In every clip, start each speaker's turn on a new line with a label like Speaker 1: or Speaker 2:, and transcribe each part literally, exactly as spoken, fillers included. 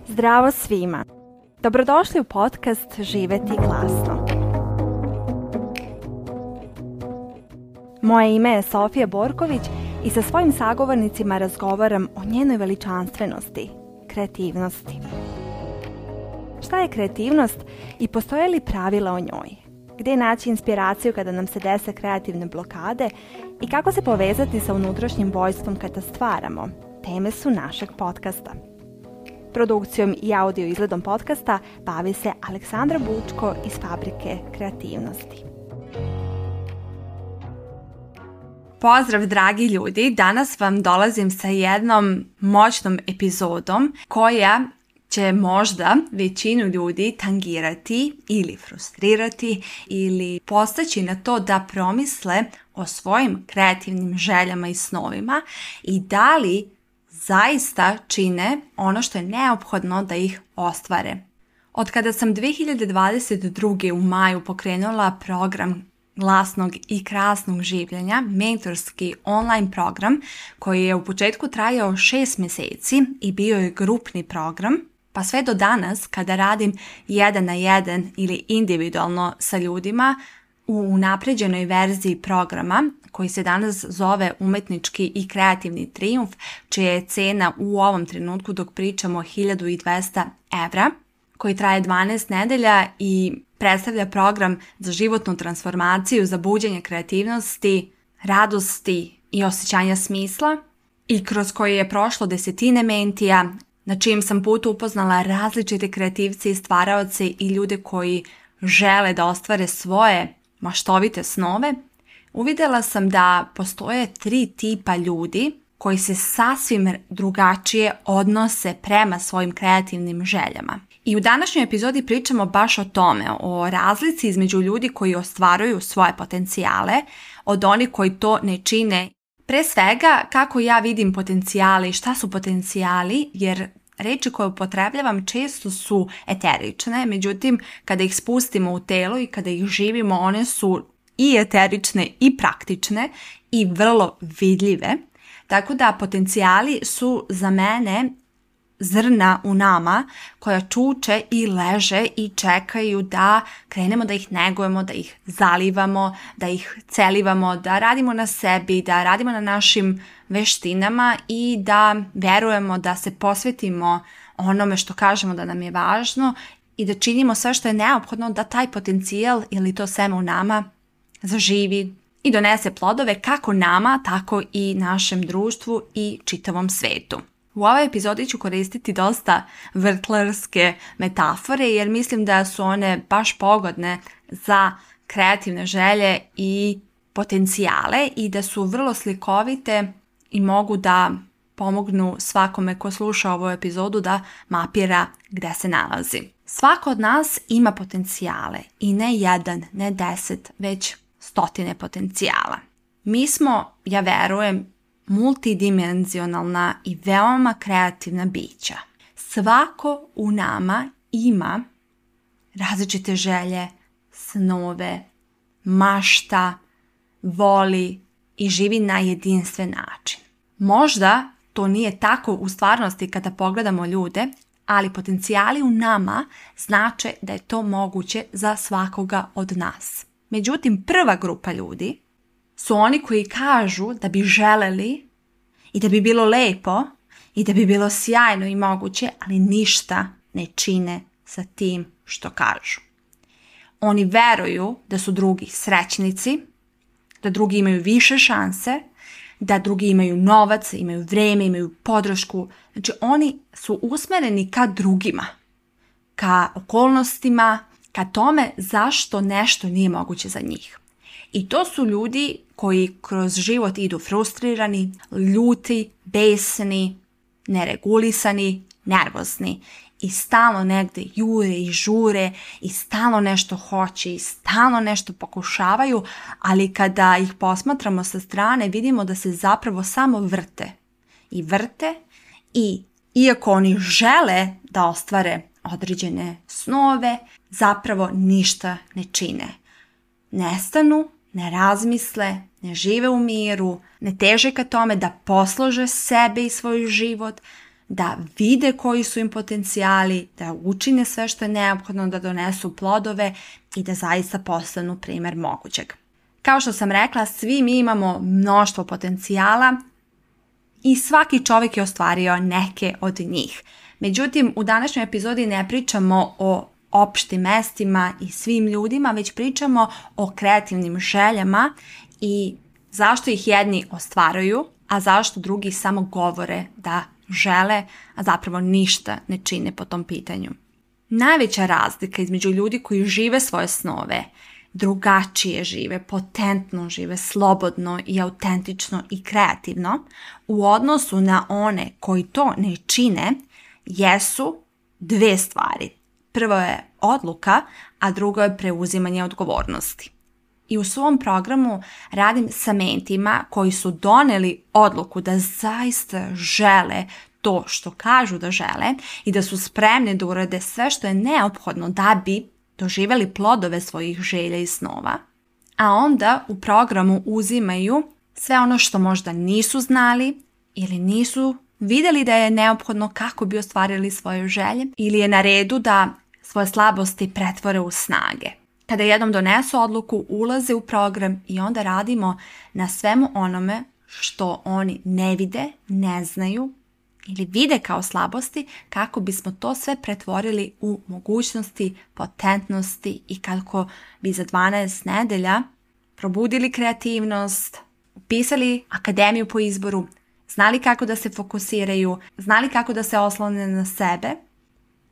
Speaker 1: Zdravo svima! Dobrodošli u podcast Živjeti glasno. Moje ime je Sofija Borković i sa svojim sagovornicima razgovaram o njenoj veličanstvenosti, kreativnosti. Šta je kreativnost i postoje li pravila o njoj? Gdje naći inspiraciju kada nam se dese kreativne blokade i kako se povezati sa unutrašnjim vojstvom kada stvaramo? Teme su našeg podcasta. Produkcijom i audio izgledom podcasta bavi se Aleksandra Bučko iz Fabrike kreativnosti. Pozdrav dragi ljudi, danas vam dolazim sa jednom moćnom epizodom koja će možda većinu ljudi tangirati ili frustrirati ili postaći na to da promisle o svojim kreativnim željama i snovima i da li zaista čine ono što je neophodno da ih ostvare. Od kada sam dvije hiljade dvadeset druge. u maju pokrenula program glasnog i krasnog življenja, mentorski online program koji je u početku trajao šest mjeseci i bio je grupni program, pa sve do danas kada radim jedan na jedan ili individualno sa ljudima u unapređenoj verziji programa koji se danas zove Umetnički i kreativni trijumf, čija je cena u ovom trenutku dok pričamo hiljadu dvesta evra, koji traje dvanaest nedelja i predstavlja program za životnu transformaciju, za buđenje kreativnosti, radosti i osjećanja smisla i kroz koji je prošlo desetine mentija, na čijem sam putu upoznala različite kreativce i stvaraoce i ljude koji žele da ostvare svoje maštovite snove. Uvidjela sam da postoje tri tipa ljudi koji se sasvim drugačije odnose prema svojim kreativnim željama. I u današnjoj epizodi pričamo baš o tome, o razlici između ljudi koji ostvaruju svoje potencijale od onih koji to ne čine. Pre svega, kako ja vidim potencijali, šta su potencijali, jer reči koje upotrebljavam često su eterične, međutim, kada ih spustimo u telo i kada ih živimo, one su i eterične i praktične i vrlo vidljive. Tako da potencijali su za mene zrna u nama koja čuče i leže i čekaju da krenemo da ih negujemo, da ih zalivamo, da ih celivamo, da radimo na sebi, da radimo na našim veštinama i da verujemo da se posvetimo onome što kažemo da nam je važno i da činimo sve što je neophodno da taj potencijal ili to seme u nama zaživi i donese plodove kako nama, tako i našem društvu i čitavom svetu. U ovoj epizodi ću koristiti dosta vrtlarske metafore jer mislim da su one baš pogodne za kreativne želje i potencijale i da su vrlo slikovite i mogu da pomognu svakome ko sluša ovu epizodu da mapira gde se nalazi. Svako od nas ima potencijale i ne jedan, ne deset, već stotine potencijala. Mi smo, ja verujem, multidimenzionalna i veoma kreativna bića. Svako u nama ima različite želje, snove, mašta, voli i živi na jedinstven način. Možda to nije tako u stvarnosti kada pogledamo ljude, ali potencijali u nama znače da je to moguće za svakoga od nas. Međutim, prva grupa ljudi su oni koji kažu da bi želeli i da bi bilo lepo i da bi bilo sjajno i moguće, ali ništa ne čine sa tim što kažu. Oni veruju da su drugi srećnici, da drugi imaju više šanse, da drugi imaju novac, imaju vreme, imaju podršku. Znači oni su usmereni ka drugima, ka okolnostima, ka tome zašto nešto nije moguće za njih. I to su ljudi koji kroz život idu frustrirani, ljuti, besni, neregulisani, nervozni i stalno negde jure i žure i stalno nešto hoće i stalno nešto pokušavaju, ali kada ih posmatramo sa strane vidimo da se zapravo samo vrte i vrte i iako oni žele da ostvare određene snove, zapravo ništa ne čine. Nestanu, ne razmisle, ne žive u miru, ne teže ka tome da poslože sebe i svoj život, da vide koji su im potencijali, da učine sve što je neophodno da donesu plodove i da zaista postanu primjer mogućeg. Kao što sam rekla, svi mi imamo mnoštvo potencijala i svaki čovjek je ostvario neke od njih. Međutim, u današnjoj epizodi ne pričamo o opštim mestima i svim ljudima, već pričamo o kreativnim željama i zašto ih jedni ostvaruju, a zašto drugi samo govore da žele, a zapravo ništa ne čine po tom pitanju. Najveća razlika između ljudi koji žive svoje snove, drugačije žive, potentno žive, slobodno i autentično i kreativno, u odnosu na one koji to ne čine, jesu dve stvari. Prvo je odluka, a drugo je preuzimanje odgovornosti. I u svom programu radim sa mentima koji su doneli odluku da zaista žele to što kažu da žele i da su spremni da urade sve što je neophodno da bi doživjeli plodove svojih želja i snova. A onda u programu uzimaju sve ono što možda nisu znali ili nisu vidjeli da je neophodno kako bi ostvarili svoje želje ili je na redu da svoje slabosti pretvore u snage. Kada jednom donesu odluku, ulaze u program i onda radimo na svemu onome što oni ne vide, ne znaju ili vide kao slabosti, kako bismo to sve pretvorili u mogućnosti, potentnosti i kako bi za dvanaest nedelja probudili kreativnost, upisali akademiju po izboru, znali kako da se fokusiraju, znali kako da se oslone na sebe,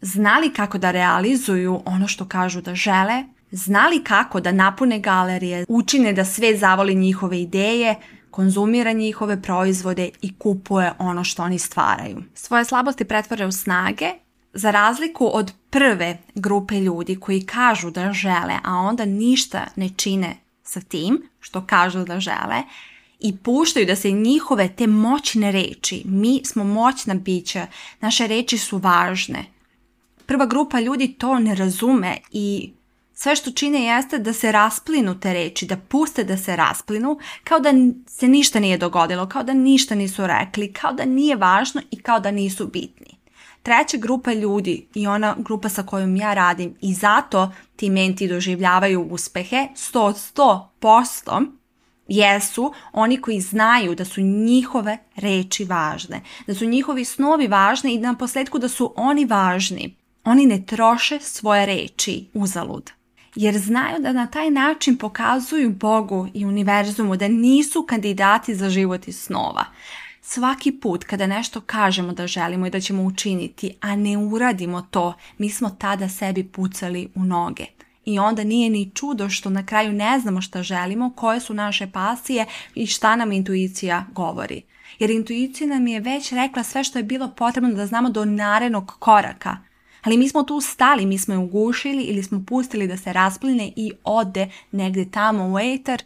Speaker 1: znali kako da realizuju ono što kažu da žele, znali kako da napune galerije, učine da sve zavoli njihove ideje, konzumira njihove proizvode i kupuje ono što oni stvaraju. Svoje slabosti pretvore u snage, za razliku od prve grupe ljudi koji kažu da žele, a onda ništa ne čine sa tim što kažu da žele i puštaju da se njihove te moćne reči, mi smo moćna bića, naše reči su važne. Prva grupa ljudi to ne razume i sve što čine jeste da se rasplinu te reči, da puste da se rasplinu, kao da se ništa nije dogodilo, kao da ništa nisu rekli, kao da nije važno i kao da nisu bitni. Treća grupa ljudi i ona grupa sa kojom ja radim i zato ti menti doživljavaju uspehe sto od sto posto jesu oni koji znaju da su njihove reči važne, da su njihovi snovi važni i na posljedku da su oni važni. Oni ne troše svoje reči uzalud, jer znaju da na taj način pokazuju Bogu i univerzumu da nisu kandidati za život iz snova. Svaki put kada nešto kažemo da želimo i da ćemo učiniti, a ne uradimo to, mi smo tada sebi pucali u noge. I onda nije ni čudo što na kraju ne znamo šta želimo, koje su naše pasije i šta nam intuicija govori. Jer intuicija nam je već rekla sve što je bilo potrebno da znamo do narednog koraka. Ali mi smo tu stali, mi smo je ugušili ili smo pustili da se raspline i ode negdje tamo u eter.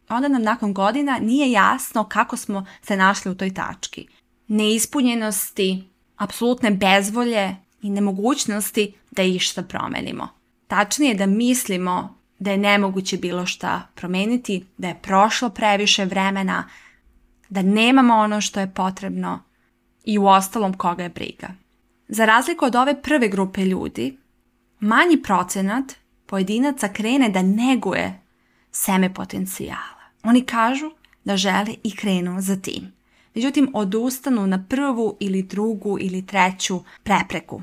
Speaker 1: Onda nam nakon godina nije jasno kako smo se našli u toj tački. Neispunjenosti, apsolutne bezvolje i nemogućnosti da išta promenimo. Tačnije da mislimo da je nemoguće bilo šta promeniti, da je prošlo previše vremena, da nemamo ono što je potrebno i u ostalom koga je briga. Za razliku od ove prve grupe ljudi, manji procenat pojedinaca krene da neguje seme potencijala. Oni kažu da žele i krenu za tim. Međutim, odustanu na prvu ili drugu ili treću prepreku.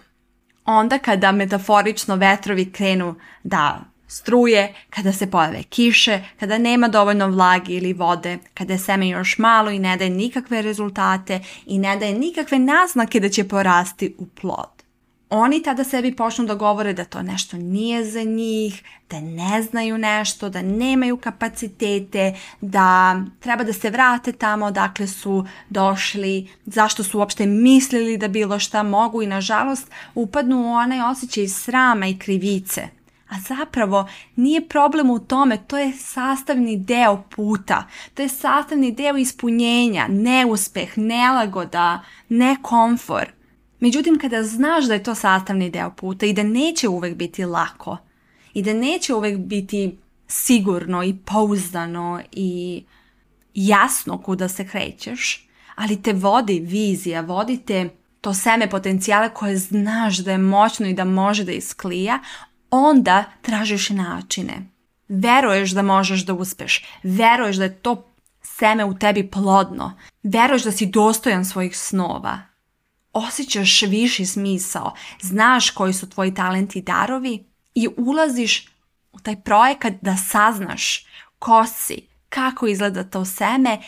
Speaker 1: Onda kada metaforično vetrovi krenu da struje, kada se pojave kiše, kada nema dovoljno vlage ili vode, kada je seme još malo i ne daje nikakve rezultate i ne daje nikakve naznake da će porasti u plod. Oni tada sebi počnu da govore da to nešto nije za njih, da ne znaju nešto, da nemaju kapacitete, da treba da se vrate tamo odakle su došli, zašto su uopšte mislili da bilo šta mogu i nažalost upadnu u onaj osjećaj srama i krivice. A zapravo nije problem u tome, to je sastavni deo puta, to je sastavni deo ispunjenja, neuspeh, nelagoda, nekomfor. Međutim, kada znaš da je to sastavni deo puta i da neće uvek biti lako i da neće uvek biti sigurno i pouzdano i jasno kuda se krećeš, ali te vodi vizija, vodi te to seme potencijala koje znaš da je moćno i da može da isklija, onda tražiš načine. Veruješ da možeš da uspeš, veruješ da je to seme u tebi plodno, veruješ da si dostojan svojih snova, osjećaš viši smisao, znaš koji su tvoji talenti i darovi i ulaziš u taj projekat da saznaš ko si, kako izgleda to seme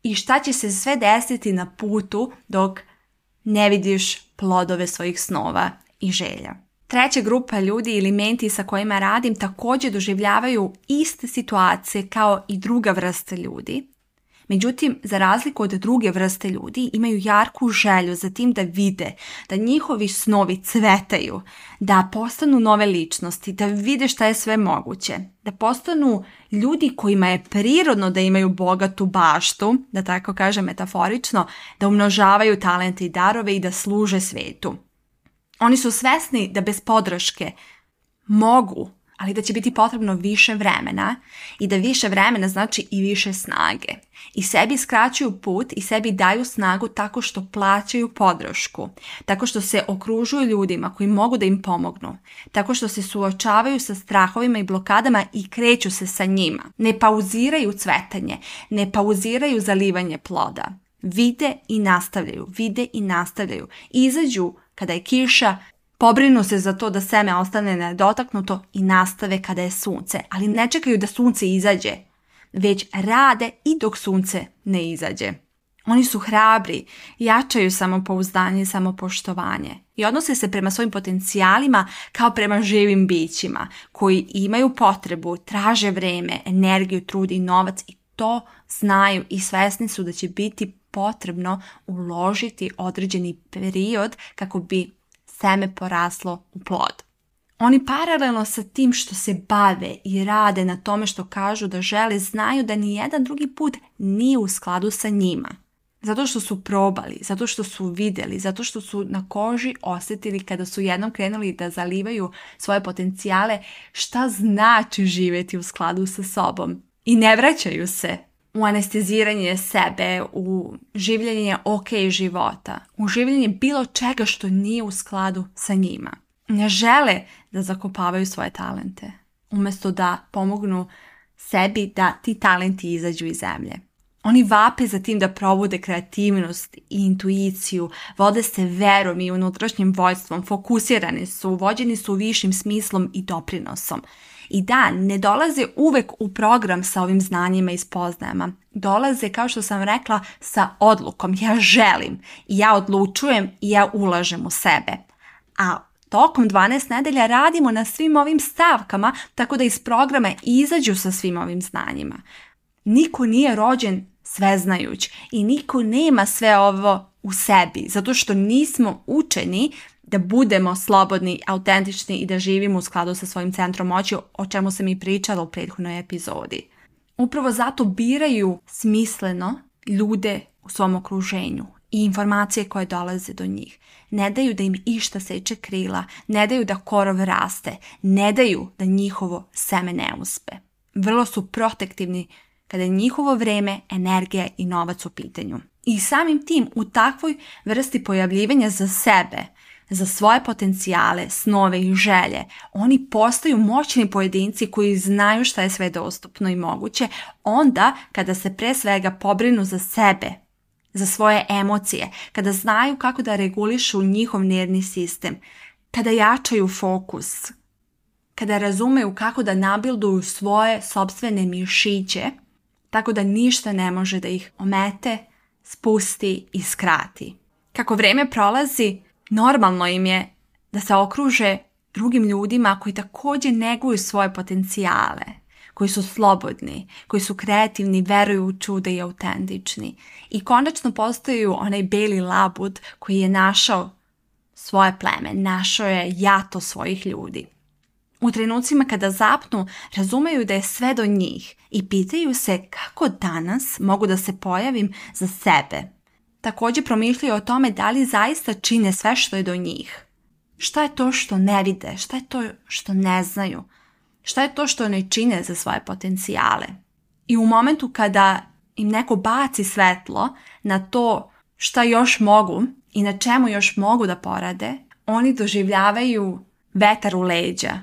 Speaker 1: i šta će se sve desiti na putu dok ne vidiš plodove svojih snova i želja. Treća grupa ljudi ili menti sa kojima radim također doživljavaju iste situacije kao i druga vrsta ljudi. Međutim, za razliku od druge vrste ljudi, imaju jarku želju za tim da vide, da njihovi snovi cvetaju, da postanu nove ličnosti, da vide šta je sve moguće, da postanu ljudi kojima je prirodno da imaju bogatu baštu, da tako kažem metaforično, da umnožavaju talente i darove i da služe svetu. Oni su svesni da bez podrške mogu, ali da će biti potrebno više vremena i da više vremena znači i više snage. I sebi skraćuju put i sebi daju snagu tako što plaćaju podršku, tako što se okružuju ljudima koji mogu da im pomognu, tako što se suočavaju sa strahovima i blokadama i kreću se sa njima. Ne pauziraju cvetanje, ne pauziraju zalivanje ploda. Vide i nastavljaju, vide i nastavljaju. Izađu kada je kiša, pobrinu se za to da seme ostane nedotaknuto i nastave kada je sunce, ali ne čekaju da sunce izađe, već rade i dok sunce ne izađe. Oni su hrabri, jačaju samopouzdanje i samopoštovanje i odnose se prema svojim potencijalima kao prema živim bićima koji imaju potrebu, traže vreme, energiju, trud i novac i to znaju i svesni su da će biti potrebno uložiti određeni period kako bi seme poraslo u plod. Oni paralelno sa tim što se bave i rade na tome što kažu da žele, znaju da ni jedan drugi put nije u skladu sa njima. Zato što su probali, zato što su vidjeli, zato što su na koži osjetili kada su jednom krenuli da zalivaju svoje potencijale šta znači živjeti u skladu sa sobom. I ne vraćaju se u anesteziranje sebe, u življenje ok života, u življenje bilo čega što nije u skladu sa njima. Ne žele da zakopavaju svoje talente, umjesto da pomognu sebi da ti talenti izađu iz zemlje. Oni vape za tim da probude kreativnost i intuiciju, vode se verom i unutrašnjim vođstvom, fokusirani su, vođeni su višim smislom i doprinosom. I da, ne dolaze uvek u program sa ovim znanjima i spoznajama. Dolaze, kao što sam rekla, sa odlukom. Ja želim, ja odlučujem i ja ulažem u sebe. A tokom dvanaest nedelja radimo na svim ovim stavkama, tako da iz programa izađu sa svim ovim znanjima. Niko nije rođen sveznajuć i niko nema sve ovo u sebi, zato što nismo učeni da budemo slobodni, autentični i da živimo u skladu sa svojim centrom moći, o čemu sam i pričala u prethodnoj epizodi. Upravo zato biraju smisleno ljude u svom okruženju i informacije koje dolaze do njih. Ne daju da im išta seče krila, ne daju da korov raste, ne daju da njihovo seme ne uspe. Vrlo su protektivni kada je njihovo vreme, energija i novac u pitanju. I samim tim u takvoj vrsti pojavljivanja za sebe, za svoje potencijale, snove i želje, oni postaju moćni pojedinci koji znaju šta je sve dostupno i moguće, onda kada se pre svega pobrinu za sebe, za svoje emocije, kada znaju kako da regulišu njihov nervni sistem, kada jačaju fokus, kada razumeju kako da nabilduju svoje sopstvene mišiće, tako da ništa ne može da ih omete, spusti i skrati. Kako vreme prolazi, normalno im je da se okruže drugim ljudima koji također neguju svoje potencijale, koji su slobodni, koji su kreativni, veruju u čuda i autentični. I konačno postaju onaj beli labud koji je našao svoje pleme, našao je jato svojih ljudi. U trenucima kada zapnu, razumeju da je sve do njih i pitaju se kako danas mogu da se pojavim za sebe. Također promišljaju o tome da li zaista čine sve što je do njih. Šta je to što ne vide? Šta je to što ne znaju? Šta je to što ne čine za svoje potencijale? I u momentu kada im neko baci svetlo na to šta još mogu i na čemu još mogu da porade, oni doživljavaju vetar u leđa,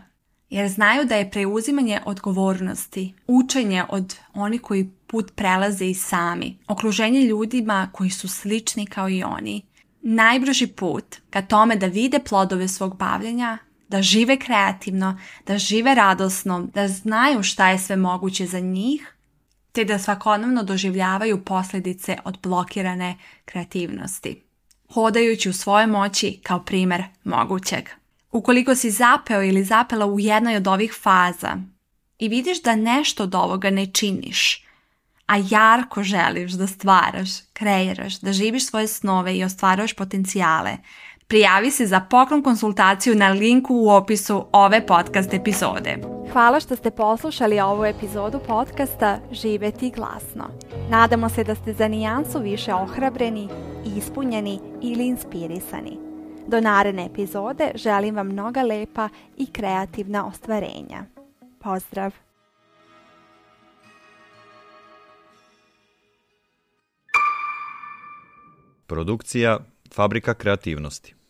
Speaker 1: jer znaju da je preuzimanje odgovornosti, učenje od onih koji put prelaze i sami, okruženje ljudima koji su slični kao i oni, najbrži put ka tome da vide plodove svog bavljenja, da žive kreativno, da žive radosno, da znaju šta je sve moguće za njih, te da svakodnevno doživljavaju posljedice od blokirane kreativnosti, hodajući u svojoj moći kao primjer mogućeg. Ukoliko si zapeo ili zapela u jednoj od ovih faza i vidiš da nešto od ovoga ne činiš, a jarko želiš da stvaraš, kreiraš, da živiš svoje snove i ostvaruješ potencijale, prijavi se za poklon konsultaciju na linku u opisu ove podcast epizode. Hvala što ste poslušali ovu epizodu podcasta Živjeti glasno. Nadamo se da ste za nijansu više ohrabreni, ispunjeni ili inspirisani. Do naredne epizode želim vam mnoga lepa i kreativna ostvarenja. Pozdrav!
Speaker 2: Produkcija Fabrika kreativnosti.